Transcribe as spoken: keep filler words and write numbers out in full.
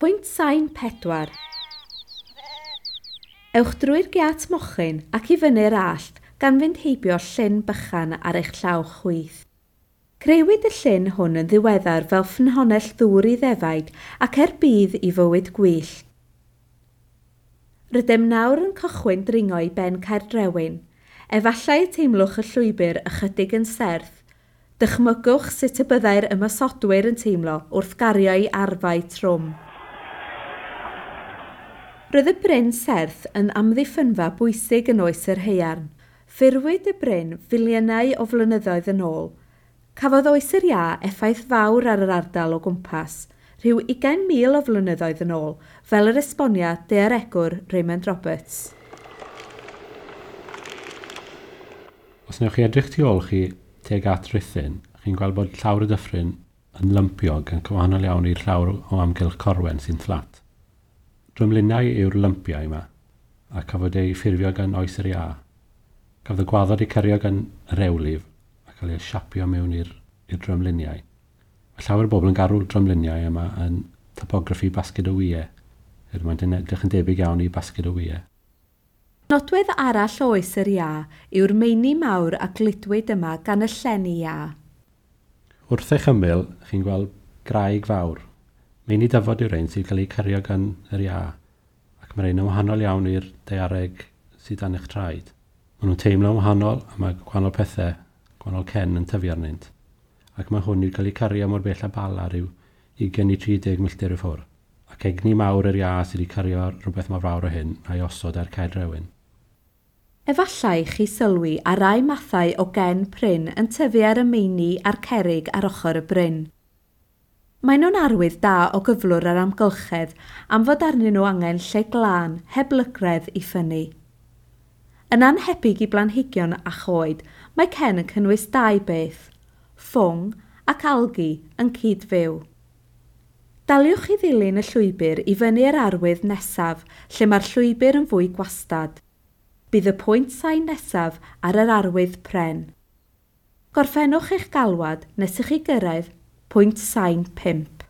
Pwynt sain pedwar. Ewch drwy'r giât mochyn ac i fyny'r allt gan fynd heibio llyn bychan ar eich llaw chwith. Creuwyd y llyn hwn yn ddiweddar fel ffynhonnell ddŵr i ddefaid ac er budd i fywyd gwyllt. Rydym nawr yn cychwyn dringo i ben Caerdrewyn. Efallai y teimlwch y llwybr ychydig yn serth. Dychmygwch sut y byddai'r ymosodwyr yn teimlo wrth gario eu arfau trwm. Roedd y bryn serth yn amddiffynfa bwysig yn oes yr haearn. Ffurfwyd y bryn filiynau o flynyddoedd yn ôl. Cafodd oes yr iâ effaith fawr ar yr ardal o gwmpas, rhyw ugain mil o flynyddoedd yn ôl, fel yr esbonia daearegwr Raymond Roberts. Os wnewch chi edrych tu ôl chi tuag at Rhuthun, chi'n gweld bod llawr y dyffryn yn lympiog yn wahanol iawn i'r llawr o amgylch Corwen sy'n fflat. Drymlinau yw'r lympiau yma, a cafodd ei ffurfio gan oes yr iâ. Cafodd y gwaddod ei cario gan y rewlif a cael ei siapio mewn i'r drymluniau. Mae llawer o bobl yn garw'r drymluniau yma yn topograffi basged o wyau. Er mae'n edrych yn debyg iawn i basged o wyau. Nodwedd arall o oes yr iâ yw'r meini mawr a gludwyd yma gan y llenni iâ. Wrth eich ymyl, chi'n gweld graig fawr. Meini dyfod yw'r ein sy'n cael eu cario gan yr iâ, ac mae'r ein yn wahanol iawn i'r daeareg sydd dan eich traed. Maen nhw'n teimlo'n wahanol a mae gwahanol pethau, gwahanol cen yn tyfu arnynt. Ac mae hwn wedi cael ei cario mor bell â Bala rhyw ugain i tri deg milltir i ffwrdd. Ac egni mawr yr iâ sydd wedi cario rhywbeth mor fawr o hyn a'i osod ar Caerdrewyn. Efallai chi sylwi ar rai mathau o gen prin yn tyfu ar y meini a'r cerrig ar ochr y bryn. Maen nhw'n arwydd da o gyflwr yr amgylchedd am fod arnyn nhw angen lle glân, heb lygredd i ffynnu. Yn annhebyg i blanhigion a choed, mae cen yn cynnwys dau beth, ffwng ac algi yn cyd-fyw. Daliwch i ddilyn y llwybr i fyny'r arwydd nesaf, lle mae'r llwybr yn fwy gwastad. Bydd y pwynt sain nesaf ar yr arwydd pren. Gorffennwch eich galwad nes i chi gyrraedd pwynt sain pump.